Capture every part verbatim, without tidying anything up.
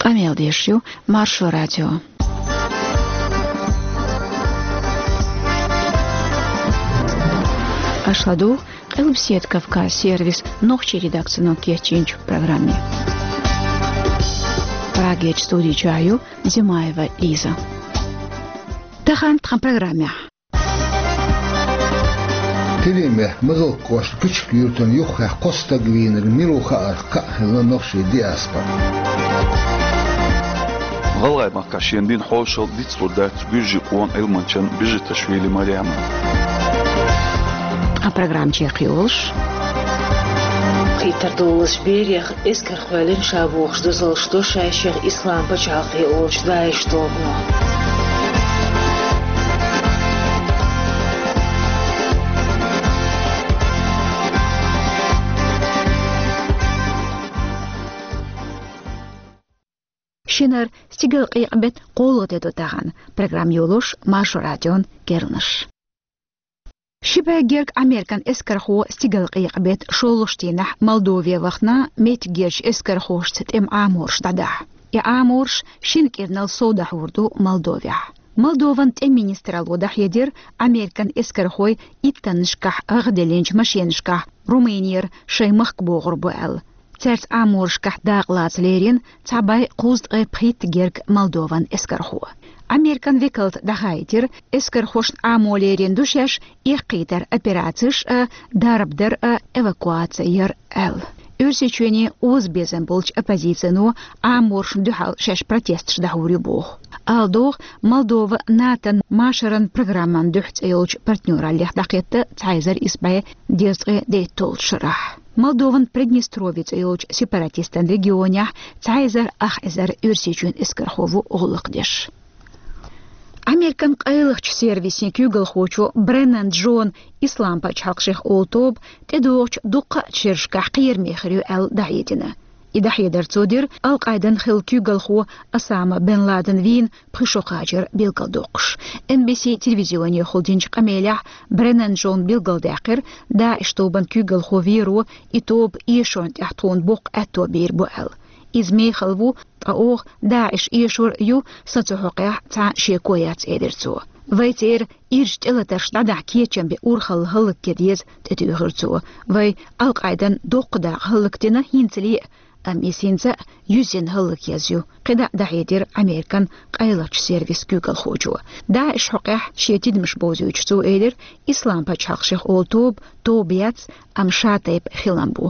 Къамел деш ю Маршо радио. Аша ладугӀу Къилбаседа Кавказ сервисан нохчийн редакцино кечйинчу программе. Прагерчу студи чохь ю Зимаева Лиза. Тахана тхан программехь. Тидаме Мазалк кӀоштан Куьчик-Юьртана юххехь кхо стаг вийнарг мила ву хаарх кхаъ хилла нохчийн диаспора. ГӀалгӀай махкахь шена дина хьошалла дицлур дац гуьржийн къоман Ӏилманчан Бежиташвили Марема. Тхан программа чекхйолуш. Кхетар долуш берех эскар кхоьллина ша бохуш дозаллаш до шайшех Ислам пачхьалкхе олучу ДАИШ тобано. Шинара стигалкъекъа беттан кхоалгӀа де ду тахана. Программа йолуш Маршо радион керланаш. Ши бӀе герга Американ эскархо стигалкъекъа беттан шолгӀачу дийнахь Молдове вахана меттигерчу эскархошца тӀеман Ӏамораш дӀадахьа. И Ӏамораш шина кӀирнал сов дӀахьур ду Молдовехь. Молдован тӀеман министралло дӀахьедира, Американ эскархой иттаннашкахь гӀагӀделлинчу машенашкахь Румынера шайн махка богӀур бу аьлла. Цаьрца Ӏаморашкахь дакъа лаца лерина цхьа бӀе кхузткъе пхийтта герга Молдован эскархо. Американ векалта дӀахаийтира, эскархошна Ӏамо лерина ду шаьш эккхийтар операцеш а, дарба дар а, эвакуаци яр аьлла. Оьрсийчоьне озабезам болчу оппозицино Ӏаморшна дуьхьал шаьш протесташ дӀахьур ю боху. Ала догӀу, Молдова НАТОн машаран программан дуьхьа цӀе йолчу партнёраллех дӀакхетта цхьа эзар исс бӀе дезткъе дейтталгӀачу шарахь. Молдован Приднестровье цӀе йолчу сепаратистан регионехь цхьа эзар ах эзар Оьрсийчоьнан эскархо ву гӀуллакх деш. Американ къайлахчу сервисийн куьйгалхочо Бреннан Джон Ислам пачхьалкх шех олу тоба тӀедогӀучу дуккха а шерашкахь кхераме хир ю аьлла дӀахьедина. И дӀахьедар цо дира Ал-Къайдан хилла куьйгалхо Осама бен Ладен вийна пхи шо кхачар билгалдоккхуш. Эн Би Си телевизионехула динчу къамелехь Бреннан Джона билгалдаьккхира, ДАИШ тобан куьйгалхо веро и тоба эшарна тӀехь тхуна боккха аьтто бийр бу аьлла. Иза мехала ву, ткъа оха ДАИШ эшор ю, сан цу хьокъехь цхьа шеко яц, элира цо. Вай церан ирча тӀелатарш дӀадахьа кечам бен урхалла хӀаллакьян деза, тӀетуьйхира цо. Вай Ал-Къайдан доккха дакъа хӀаллакдина хӀинцале а, амма иза хӀинца а юьззина хӀаллакьяза ю, кхидӀа а дӀахьедира Американ къайлахчу сервисан куьйгалхочо. ДАИШ хьокъехь шен тидамаш бовзуьйтуш цо элира, Ислам пачхьалкх шех олу тоба тоба яц, амма ша тайпа хилам бу.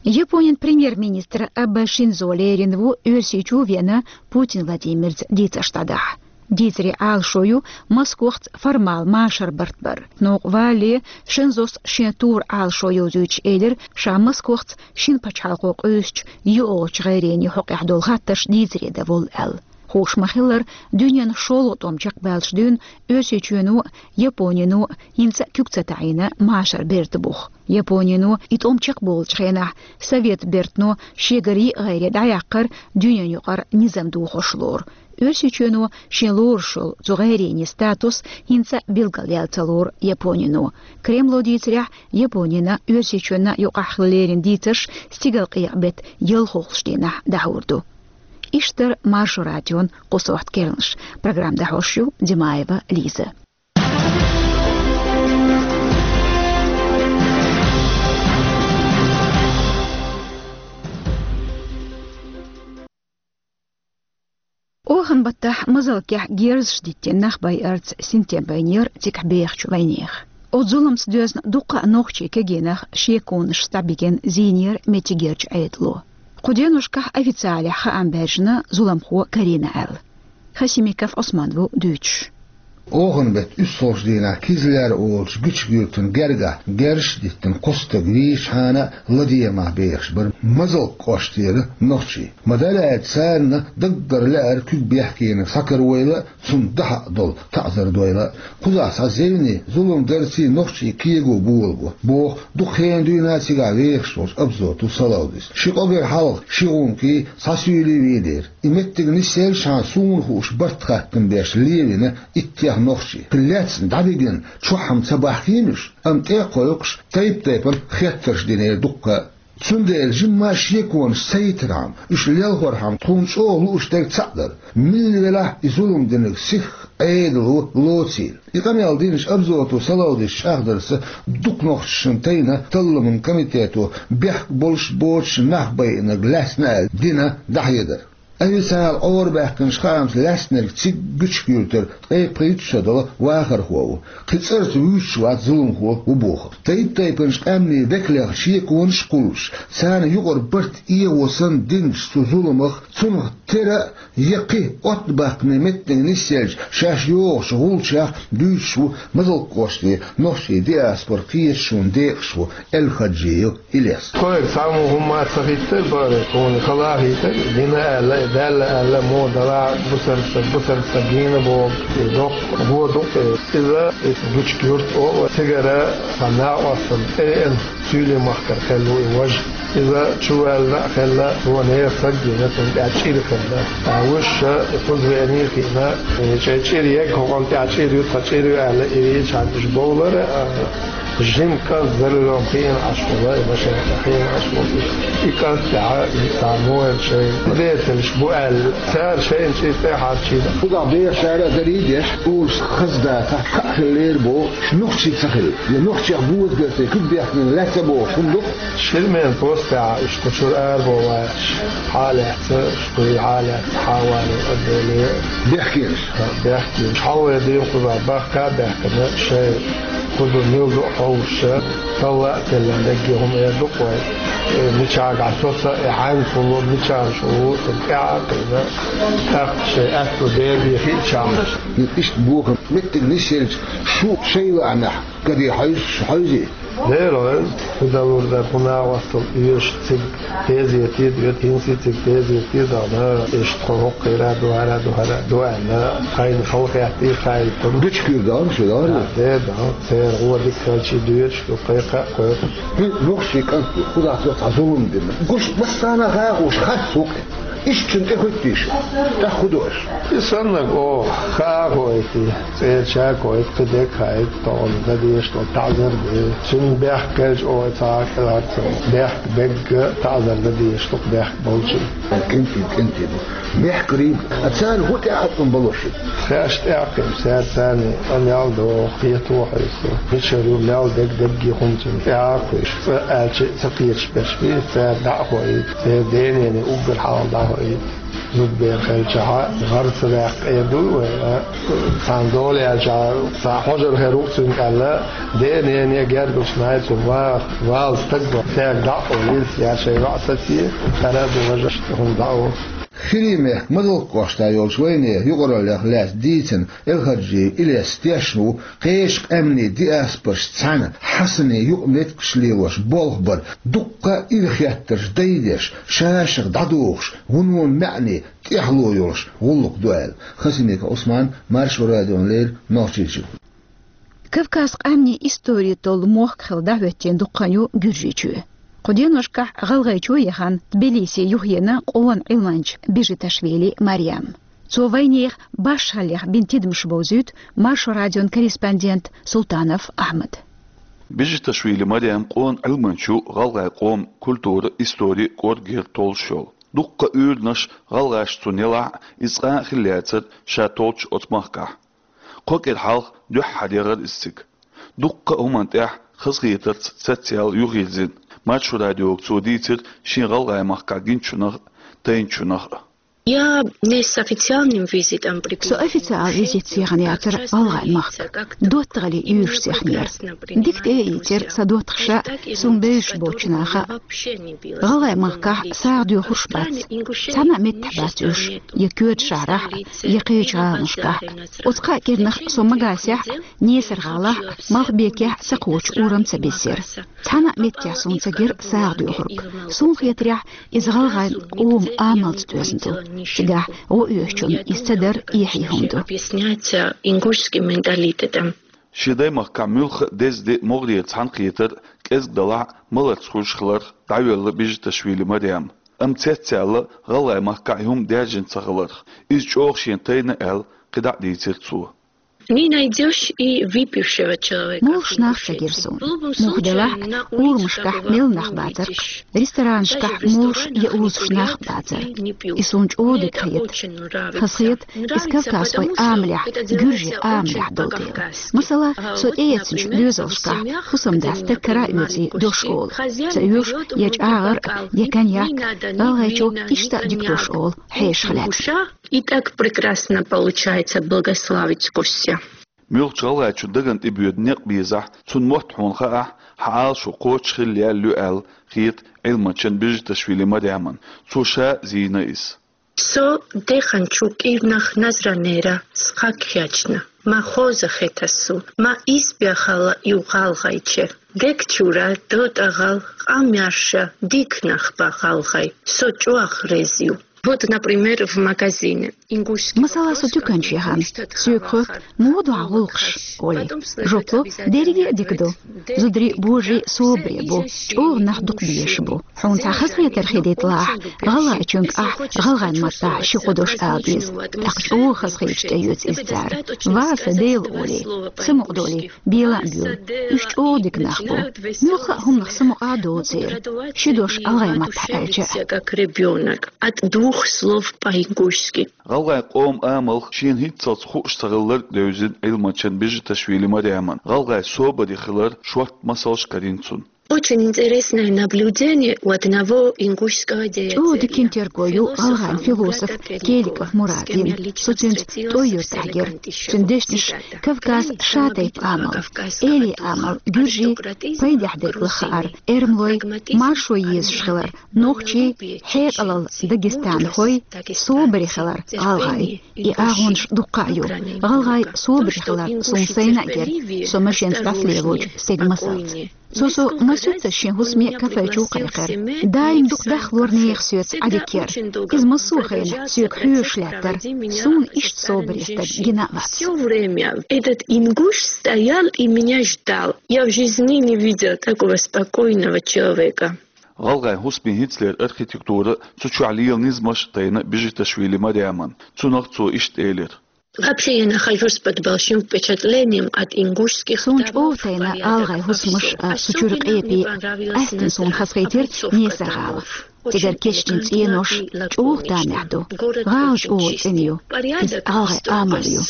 Японин премьер-министр Абэ Шинзо лерина ву Оьрсийчу а веана Путин Владимирца дийцарш дӀадахьа. Дийцаре Ӏалашо ю Москвахца формал машар барт бар. Новкъа валале Шинзос шен тура Ӏалашо йовзуьйтуш элира, ша Москвахца шина пачхьалкхо къуьйсучу йоьалгӀачу гӀайренийн хьокъехь долу хаттарш дийцаре дан волу аьлла. Хууш ма-хиллара, дуьненан шолгӀа тӀом чекхбаьллачу дуьйна Оьрсийчоьно а, Японино а хӀинца а куьг ца таӀийна машар берта бух. Японино и тӀом чекхболучу хенахь Совет бертано шегара йиъ гӀайре дӀаяьккхира дуьненан юкъара низам дохош лору. Оьрсийчоьно шен лоруш йолу цу гӀайренийн статус хӀинца а билгалъяьлла ца лору Японино. Кремло дийцарехь, Японина Оьрсийчоьнна юкъахь хилла лерина дийцарш стигалкъекъа беттан ялхалгӀачу дийнахь дӀахьур ду. Иштта дара Маршо радион кху сохьта керланаш. Программа дӀахьош ю Димаева Лиза. Оханан баттахь Мазалкехь герзаш диттина нах байарца синтем байнера цигахь бехачу вайнехан. Оцу зуламца доьзна дуккха а нохчийн кегийнах шеконаш дӀабигина зийнера меттигерчу Ӏедало. Кху деношкахь официалехь хаам баьржина зуламхо карийна аьлла. Хасимиков Ӏусман ву дуьйцуш. Оханан беттан уьссалгӀачу дийнахь Кизляр олучу Гуьчугуьртан гергахь герзаш диттина кхо стаг вийчхьана а ладегӀамехь бехаш бара Мазалк кӀоштера нохчий. Ма-дарра аьлча, царна даггара лаьара куьг бехкениг схьакаравойла а, цунна дахьа а долу таӀзар дойла а. Кхузахь цхьа зевне, зулам дарций нохчийн кего болабо, боху, дукха хенан дуьйна цигахь вехаш волчу Абзоту Салавдис. Ши къогар хьалха ши гӀумкий, цхьа суьйлий вийнера. И меттиг нисъеллачхьана суна хууш барт хаттам беш левина иттех нохчий. Кхин лаьцна дӀабигина чохь-м ца бахкийна уьш, амма тӀе а кхойкхуш, тайп-тайпана хеттарш динера дуккха а. Цундела жимма шеконаш ца йитархьама, уьш лелхорхьама тхуна чӀогӀа лууш дерг цхьаъ дара. Милла велахь а и зулам динарг сихха Ӏедало лоцийла. И къамел динчу Абзотов Салавдиса чӀагӀдарца, дукха нохчашна тайна талламан комитето бехк болуш боцуш нах байинарг лаьцна аьлла дина дӀахьедар. Официалан Ӏорабаьхкинчу хаамца лаьцнарг цига Гуьчкуьртара ткъе пхийтта шо долу вахархо ву. Кхин цӀарца вуьйцуш вац зуламхо ву бохург. Тайп-тайпанчу къаьмнийн векалех шеконаш а кхуллуш, царна юкъара барт эгӀо санна динчу цу зуламах, цунах тера а, я кхин оттабаккхаме меттиг нисъелча шаьш йогӀучу гӀулчех дуьйцуш ву Мазалккоште нохчийн диаспоран кхеташонан декъашхо Эль-Хаджиев Илес. Тхоьга цхьаммо хӀумма а ца хиттара, бара, тхуна хала а хийтара, дина аьлла, даьлла аьлла, мо дала, бусарца, бусарца гена боху, и доккха гӀо ду, иза, иза Гуьчкуьрт а, цигара цхьа накъостан тӀе веана, Суьйлийн махкара кхел ву и важа. Иза чуваьлла а хилла, цо нехан саг гина, цунна тӀехь чӀир хилла. Ткъа вуьш ша кхуза веаний хиъна, и чӀе-, чӀир ега хӀокхунна тӀехь чӀир ю, тхан чӀир ю аьлла, и вийчхьана уьш бовлара, а, жима кӀант за рулём хиъна Ӏаш волу, и машен тӀехь хиъна Ӏаш волу. И кӀант тӀехь, и цхьа муха шайн децалш бу аьлла, цара шайна чӀир тӀе а хьарчийна. Кхузахь бехачара а дарий а деш, олуш хаза дацахь, кхаъ хилла лерабо, шу нохчий ца хилла, я нохчех боза бертий куьг бехкина лаьцна бохуш хӀума ду-кх. Ширмена постехь уьш кху чуьра арабо ваьлча, хьалаьцна, уьш кхуьй хьалаьцна, хьавале а, деле а. Бехкенаш? Бехкенаш. Хьалхе дийна кхузахь бахка а баьхкина, шайн кху ду мила ду а хьовсуша, талла а теллина дегге хӀума эр ду-кх вай. Э, мичахь гахь соца, э, хьаьнга хӀун ло, мичахь шу ву, тӀаьхьа а кхийна, тӀаккха шайн аьтту бер бен хиъчахьана. Иштта бохам меттиг нисъелча, шу шайн лаамехь, каде хьовзуш, хьовзий? Дера вайн, хӀу далур дар, хӀу нагӀостал оьшу цига тезете а доьду, хӀинца а цига тезете а дан, иштта тхо хӀокху хира ду, хӀара ду, хӀара ду аьлла, тхайна халахетта а хаийтина. Гуьчкуьра дан шу, да? Дера дан, церан гӀо дика хилча доьдуш ду, кхайкха а кхойкху. ХӀинца нохчийн кӀант ду, кхузахь цо цхьа зулам дина. Гуш массарна а хьахош харц ву-кх. Иштта цунна тӀехӀоьттий шу? ТӀаккха хӀун до аша? И саннарг оха хаа а хоуьйтий, цӀерача а кхойкху, кхин дерг а хаийта, тахана дан дезаш долу таӀзар а де. Цуьнан бехк хилча оха цхьа а кӀелхьарца, бехк бегга таӀзар дан дезаш ду-кх бехк болчун. КӀентий, кӀентий ду. Мехкарий, а царна хӀун тӀеӀаткъам бало шуьга? Тхаьш тӀеӀаткъам, цара царний къамел доху, кхето хьовсу. Мичара ю мел дерг дерриге хӀума цунна тӀе а кхуьйсуш, цкъа аьлча а ца кхеташ берш бий, цара дӀа а хоуьйту, церан денене уггар хьалха дӀа а хоуьйту. Зудбер хилчахьа, гӀар ца ваьккха эр ду вай, а? Цхьана дола яьлчахьа, цхьа хьожар хир ву-кх цуьнга аьлла, денене гергарчу найцунна ваха, вала стаг ван, цаьрга дӀа а олийла, я шайн йоӀ саций, хӀара а ду, важа а ду, хӀума дӀа а ву. Хирийн мехкан Мазалккошта йолчу вайнехан юкъараллех лаьцна дийцина Эль-Хаджиев Илес тешна ву кхечу къаьмнийн диаспорашца цхьаьна Хьасанийн юкъаметтигаш лелош болх бар, дуккха а ирахеттарш дайдеш, шашах дӀадохуш, вуно маьӀне, тӀехьало йолуш гӀуллакх ду аьлла. Хасимиков Ӏусман, Маршо радиона леррина, Нохчийчуьра. Кавказ къаьмнийн истори толлу мохк хилла дӀахӀоьттина дукха хан ю Гуьржийчоь. Кху деношкахь ГӀалгӀайчу яхана Тбилисе юхаеана къона Ӏилманча Бижиташвили Марьям. Цо вайнехан башхаллех бина тидамаш бовзуьйту Маршо радион корреспондент Султанов Ахьмад. Бижиташвили Марьям къона Ӏилманча ву, гӀалгӀайн къоман культура, истори, кӀоргера толлуш йолу. Дуккха а уьйранаш гӀалгӀаша цунна елахь а, иза цкъа а хилла яцара ша толлучу оцу махкахь. Кхо кӀира хьалха дуьххьара яхара иза цига. Дуккха а хӀуманна тӀехь хазахетарца цецъяьлла юхайирзина. Маршо радиога цо дийцира шен ГӀалгӀайн махкахь гиначунах а, тайначунах а. Я не с официальным визитом прибыла. Со официалан визитца яхана яцара ГӀалгӀайн махка. ДоттагӀаллин уьйрашца яханера. Дика тӀе а ийцира сан доттагӀаша, суна бевзаш боцчу наха а. ГӀалгӀайн махкахь сагӀа доьхурш бац. Цхьана а меттехь бац уьш, я коьртачу шахьарахь а, я кхечу гӀаланашкахь а. Оцу кхаа кӀирнах со Магасехь а, Несар-ГӀалахь а, Малхбекехь а сан кхочу урам ца бисира. Цхьана а меттехь суна ца гира сагӀа доьхург. Суна хетарехь, иза гӀалгӀайн къоман амалца доьзна ду. Цигахь гӀо оьшучунна иза ца дар эхье хӀума ду. Объясняется ингушским менталитетом. Шен даймахкахь муьлхха а деза де могӀарера цхьаьна хетар, кӀезиг далахь а, маларца хуьлуш хиларх дӀайоьлла Бижиташвили Марьям. Амма цецъяьлла ГӀалгӀайн махкахь и хӀума даьржина ца хиларх, иза чӀогӀа шена тайна аьлла, кхидӀа а дийцира цо. Не найдёшь и выпившего человека. Молуш нах ца гира суна. Муха делахь а, урамашкахь мел нах бацар-кх, ресторанашкахь молуш я узуш нах бацар. И суна чӀогӀа дика хета. Хаза хета, из кавказхой амалехь, гуьржий амалехь дола дела. Масала, со тӀеэцначу доьзалшкахь фусам-дас стаг кара а оьций дош олу. Ца оьшу я чӀагӀар а, я коньяк, гӀалгӀайчо иштта а дика дош олу, хьешах лаьцна. И так прекрасно получается благословить Костя. Муьлххачу гӀалгӀайчун дагна тӀебоьду некъ безахь, цунна мотт хьуна хаахь, хьан Ӏалашо кхочушхилла яьлла ю аьлла хета Ӏилманчин Бежиташвили Маряман. Цо ша зийна иза. Со деханчу кӀирнах Назранера схьакхаьчна. Ма хоза хета суна, ма исбаьхалла ю гӀалгӀайче. Дег чуьра дотӀа гӀал, къамел еш, дика нах ба гӀалгӀай. Со чӀогӀа реза ю. Вот, например, в магазине. Масала, со дуькан чу яхана, соьга хоьтту: «Муха ду хьан гӀуллакхаш?» олий. Жоп ло: «Дерриге а дика ду. Зударий божарий собаре бу, чӀогӀа нах дукха безаш бу». Хьуна цхьа хазахетар хилийталахь, гӀалгӀайчуьнга ахь гӀалгӀайн маттахь ши-кхо дош ала деза. ТӀаккха чӀогӀа хазахеташ тӀеоьцу иза цара. Ва сан Дела олий, самукъадолий, бела а буьйлу. Уьш чӀогӀа дика нах бу. Муьлхха а хӀуманах самукъа а доцу церан, ши дош гӀалгӀайн маттахь аьлча а. Как ребёнок. От двух слов по-ингушски. ГӀалгӀайн къоман амалх шена хӀинццалц хууш ца хилларг а девзина Ӏилманчин Бежиташвили Маряман. ГӀалгӀайн собаре хиларан шортта масалш карийна цунна. Очень интересное наблюдение у одного ингушского деятеля. ЧӀогӀа дика терго ю гӀалгӀайн философ Келиков Мурадин. Со цуьнца ТӀой-Юьртахь гира. Цуьнан дешнаш Кавказ шатайпа амал, элий амал, гуьржий пайдехь дерг лаха хилар, эрмалой маршо езаш хилар, нохчий, хьекъалалла дагестанхой, собаре хилар гӀалгӀай. И агӀонаш дуккха а ю. ГӀалгӀай собаре хилар суна сайна а гира, со машенца дӀасалелочу стеган масалца. Цо со массуьйццаш шен хӀусаме кафе чу кхайкхира. Даим дукха дахлора нехан соьца Ӏадика яра. Иза массо а хенахь соьга хьоьжуш лаьттара. Суна иштта собаре стаг гина а вац. Всё время этот ингуш стоял и меня ждал. Я в жизни не видела такого спокойного человека. ГӀалгӀайн хӀусамийн хӀинцалера архитектура, цу чохь лела низамаш а тайна Бежиташвили Маряман. Цунах цо иштта элира: Вообще, я нахожусь под большим впечатлением от ингушских дворов, порядков, обычаев. Особенно мне понравилось, как они обращаются к своим внукам. Суна чӀогӀа тайна гӀалгӀайн хӀусамаш а, цу чуьра къепе Астан суна хазахийтира несаргӀала. Цигара кечдина цӀенош, чӀогӀа тамехь ду. ГӀала чӀогӀа цӀена ю. Иза гӀалгӀайн амал ю.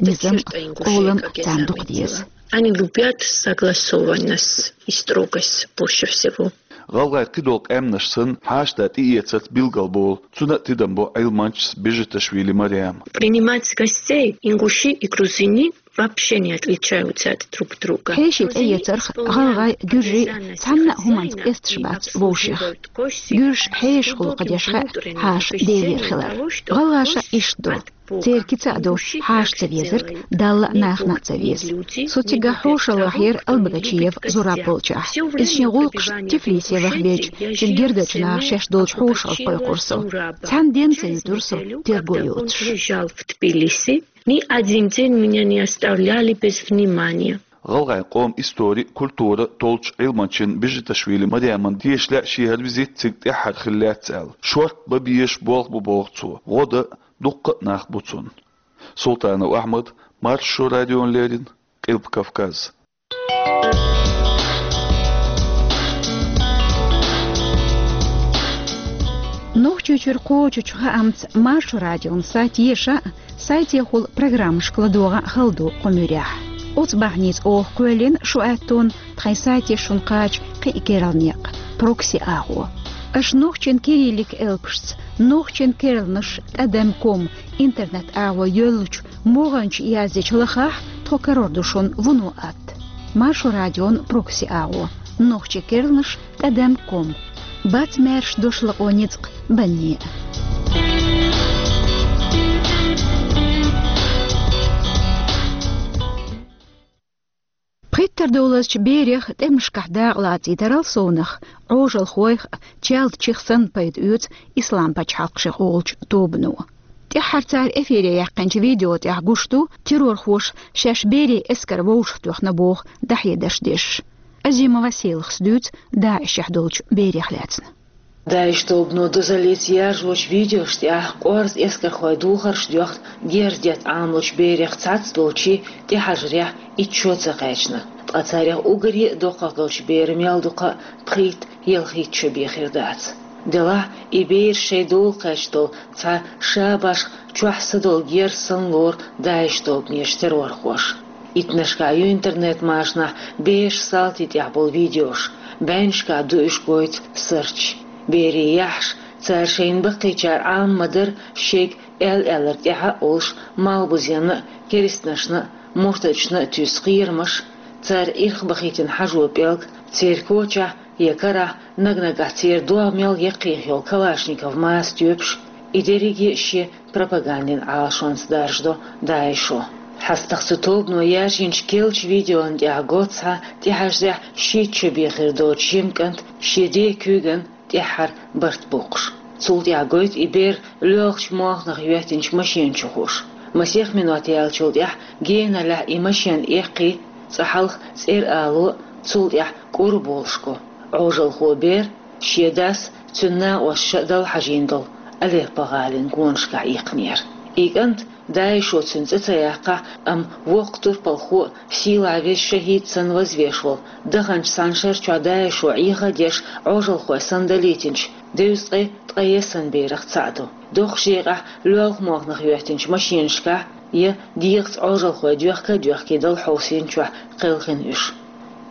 Низам, къолам царна дукха деза. Они любят согласованность и строгость больше всего. ГӀалгӀайн кхидолу къаьмнаш санна, хьашташ тӀеэцарца билгалболу, цунна а тидам бо Ӏилманчас Бежиташвили Маряма. Принимать гостей ингуши и грузины вообще не отличаются от друг друга. Хьеший тӀеэцарх гӀалгӀай, гуьржий цхьанна а хӀуманца къесташ бац вовшех. Гуьржаш хьешах гӀуллакх деш хаьа хьаша Делера хилар. ГӀалгӀаша иштта ду. Церан кица а ду хьаша ца везарг, Далла а, нахана а ца веза. Со цигахь хьошалгӀа хьера Албогачиев Зураб волчохь. Иза шен гӀуллакхаш Тифлисе вахбелча, цуьнан гергарчу наха шаьш долчу хьошалгӀа кхойкхура со. Цхьана денна ца юьтура со терго йоцуш. Ни один день меня не оставляли без внимания. ГӀалгӀайн къоман истори, культура толлучу Ӏилманчин Бежиташвили Маряман деша лаьа шен хӀара визит цига тӀаьххьара хилла лаьцна аьлла. Шортта бан безаш болх бу боху цо. ГӀо дан дуккха а нах бу цунна. Султанов Ахьмад, Маршо радиона леррина, Къилба Кавказ. Нохчийчуьра кхочучу хаамца Маршо радион сайт еша а, сайтехула программашка ладогӀа а хала ду кху муьрехь. Оцу бахьаница оха кхоьллина шу аьттонна тхайн сайте шуна кхача кхин а керла некъ, прокси агӀо. Аша нохчийн кириллик элпашца, нохчийн керланаш тӀадам ком интернет агӀо йоьллучу могӀанчу яздечу лахахь, тхо карор ду шуна вуно атта. Маршо радион прокси агӀо, нохчийн керланаш тӀадам ком. Бац маьрша дош лакъо ницкъ банне а. Пхийттара долазчу берех тӀемашкахь дакъа лацийтарал совнах, Ӏожалхойх а, чалдичих санна пайда оьцу ислам-пачхьалкхашкахуьлучу тобано. ТӀаьххьара цара эфире яьккхинчу видео тӀехь гуш ду террорхоша шаьш берийн эскар вовшахтоьхна боху дӀахьедарш деш. Азимова Селахас дуьйцу ДАИШехь долчу берех лаьцна. ДАИШ тобано дозаллица яржочу видеошна тӀехь къорза эскархойн духарш доьхна герз детта Ӏамалучу берех цхьацца долчийн тӀехьажарехь итт шо ца кхаьчна. Ткъа царех уггаре а доккхагӀа долчу беран мел ду-кх пхийтта-ялхитта шо бен хир дац. Делахь а, и бераш шайн дола кхаьчна долу цхьа ша башха чохь са долу герз санна лору ДАИШ тобанерчу террорхоша. Иттаннашкахь ю интернет-машанахь бераш салтийн тӀехь болу видеош, бӀеннашкахь ду уьш гойту сарч. Берийн яххьаш, цара шайна баккхийчара Ӏама ма-дарра шайга аьлла-аьлларг тӀаьхьа а олуш, малхбузенна а, керстанашна а, муртадашна а туьйсу кхерамаш, цара ирхбахийтина хьажо пӀелг, церан кочахь я карахь наг-наггахь церан догӀмел яккхийх йолу калашников маса тоьпаш, и дерриге а шен пропагандин Ӏалашонца даржадо ДАИШо. ХьастагӀа цу тобано яржийначу керлачу видеона тӀехь го цхьа тӀехьажарехь шийтта шо бен хир доцу жима кӀант шен ден куьйган тӀаьххьара барт боккхуш. Цул тӀаьхьа гойту и бер лоьлхучу молханах йоьттинчу машена чу хууш. Масех минот яьллачул тӀаьхьа геналлехь и машена эккхий, цкъа хьалха цӀера ало а, цул тӀаьхьа кӀур а болуш го. Ӏожалхо бер шен дас, цуьнан накъосташа а далла хьажийна долу Алеппо гӀалин гонашкахь иккхинера. И кӀант, ДАИШо цуьнан цӀе ца яккхахь, амма воккха турпалхо а, сийлахь веза шахӀид санна вазвеш волу, даханчу цхьана шарчохь ДАИШо Ӏеха а деш, Ӏожалхой санна далийтинчу, девза ткъе ткъе есан берех цхьаъ ду. Доккхачу декъехь лоьлху молханах йоьттинчу машенашкахь я дегӀаца Ӏожалхой доьхка а доьхкий далла хьовсийначохь кхелхина уьш.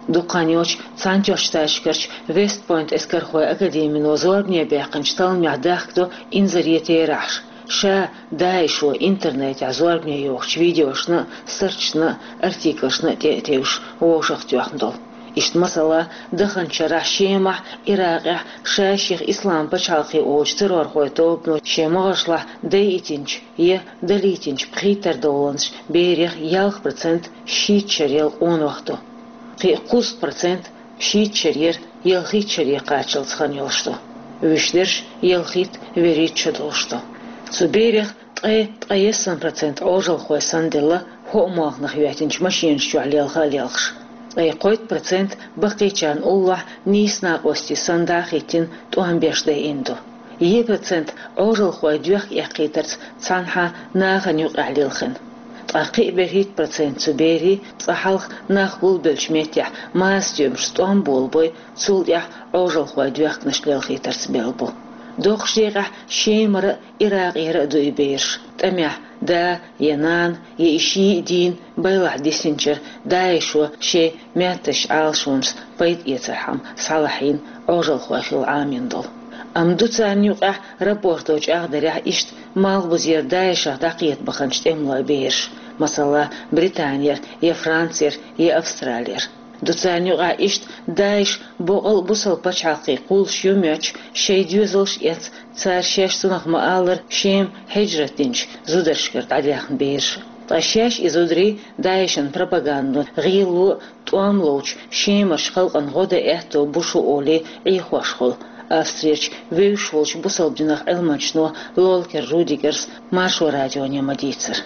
Дукха хан йоццуш Цхьаьнатоьхначу Штаташкарчу Вест-Пойнт эскархойн академино зорбане баьккхинчу талламехь дахкадо инзаре терахьаш, ша ДАИШо интернетехь зорбане йохучу видеошна а, сарчашна а, артиклашна а тӀе а тевжаш вовшахтоьхна долу. Иштта, масала, даханчу шарахь Шемахь, Иракъехь ша-шех Ислам пачхьалкхе олучу террорхойн тобано шен могӀаршлахь дайийтинчу я далийтинчу пхийттара доланаш берех ялх процент шийтта шарел къонах ду. Кхин а кхузткъа процент шийтта шарера ялхитта шаре кхаччалц хан йолуш ду. Вуьшта дерш ялхитта, вуьрхӀитта шо долуш ду. Цу берех ткъе ткъе есан процент Ӏожалхой санна делла, хӀоъ молханах йоьттинчу машенаш чохь лелха а лелхаш. Ткъе кхойтта процент баккхийчарна уллохь нийса накъостий санна дӀа а хӀиттина, тӀом беш дайина ду. Е процент Ӏожалхой доьхка эккхийтарца цхьанхьа нахана юкъахь лилхина. Ткъа кхин а берхӀитта процент цу берийн цкъа хьалха нах гулбеллачу меттехь маса тоьмашца тӀом болабой, цул тӀаьхьа Ӏожалхой доьхканаш лелхийтарца белла бу. Доккхачу декъехь Шемара а, Иракъера а ду и бераш. ТӀамехь да я нана, я и ший а дийна, байлахь дисинчара ДАИШо шайн маьттазчу Ӏалашонашца пайда эцархьама схьалахьийна Ӏожалхой хилла Ӏамийна долу. Амма ду царна юкъахь рапорто чӀагӀдарехь иштта малхбузера ДАИШах дӀакхета баханчу тӀемалойн бераш, масала, Британера, я Францера, я Австралера. Ду царна юкъахь иштта ДАИШ боккъал а бусалба пачхьалкхе кхуллуш ю моьттуш, шайн доьзалш а эцна, цара шаьш цунах ма-аллара Шема хьижрат динчу зударшкара дӀадаьхна бераш. Ткъа шаьш и зударий ДАИШан пропагандо, гӀело а, тӀом ловчу Шемарчу халкъана гӀо дан аьтто бу шу олий Ӏехош хуьлу Австрерчу вевзаш волчу бусалба динах Ӏилманчо Лолкер Рудигерс Маршо радионе ма-дийццара.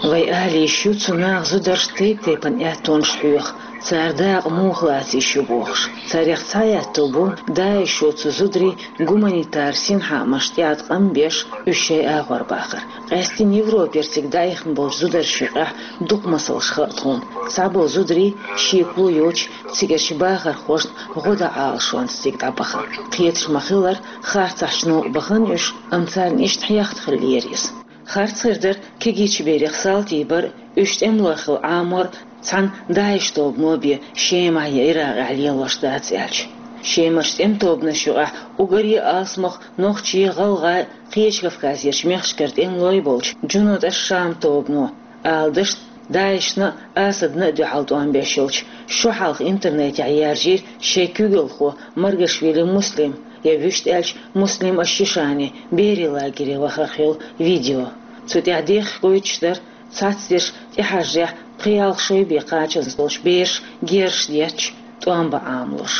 Вай ала йиш ю цу наха зударшна тайп-тайпана аьттонаш хьоьху, цара дакъа муха лаца йиш ю бохуш. Царех цхьа аьтто бу ДАИШо цу зударийн гуманитар синхаамашна тӀеӀаткъам беш, уьш шайн агӀор бахар. Къаьсттина Европера цига дӀаихна болчу зударшна юкъахь дукха масалш хаьа тхуна. Цхьаболу зударий шекало йоцуш цигарчу бахархошна гӀо дан Ӏалашонца цига дӀабахана. Кхеташ ма-хиллара, харцахьчу новкъа бахана уьш, амма царна иштта хьехна хиллера иза. Харц хир дара кегийчу берех салтий бар а, уьш тӀемалой хилла Ӏамор а, цхьана ДАИШ тобано бен Шемахь я Иракъехь лелош дац аьлча. Шемарчу тӀеман тобанашна юкъахь уггаре а алсамох нохчий, гӀалгӀай, кхечу Кавказерчу мехкашкара тӀемалой болчу Джунут аш-Шам тобано, ала дашна, ДАИШна а, Асадна а дуьхьал тӀом беш йолчу, шо хьалха интернетехь яржийра шайн куьйгалхо Маргашвили Муслим, я вуьшта аьлча Муслим аш-Шишани берийн лагере вахарх йолу видео. Цу тӀехь дехха гойтуш дара цхьацдерш тӀехьажарехь пхи-ялх шо бен кхаччалц долчу бераша герзаш детташ, тӀом бан Ӏамалош.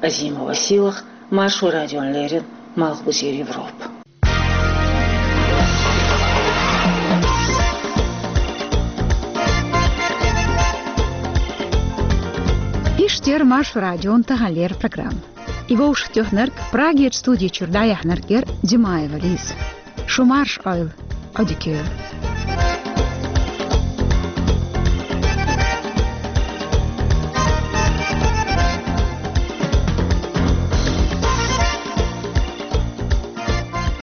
Азимова Сийлаха, Маршо радиона леррина, Малхбузера Европа. Иштта яра Маршо радион таханлера программа. И вовшахтоьхнарг, Прагерча студи чуьра дӀаяьхьнарг яра Димаева Лиза. Шу марша Ӏойла, Ӏодика йойла.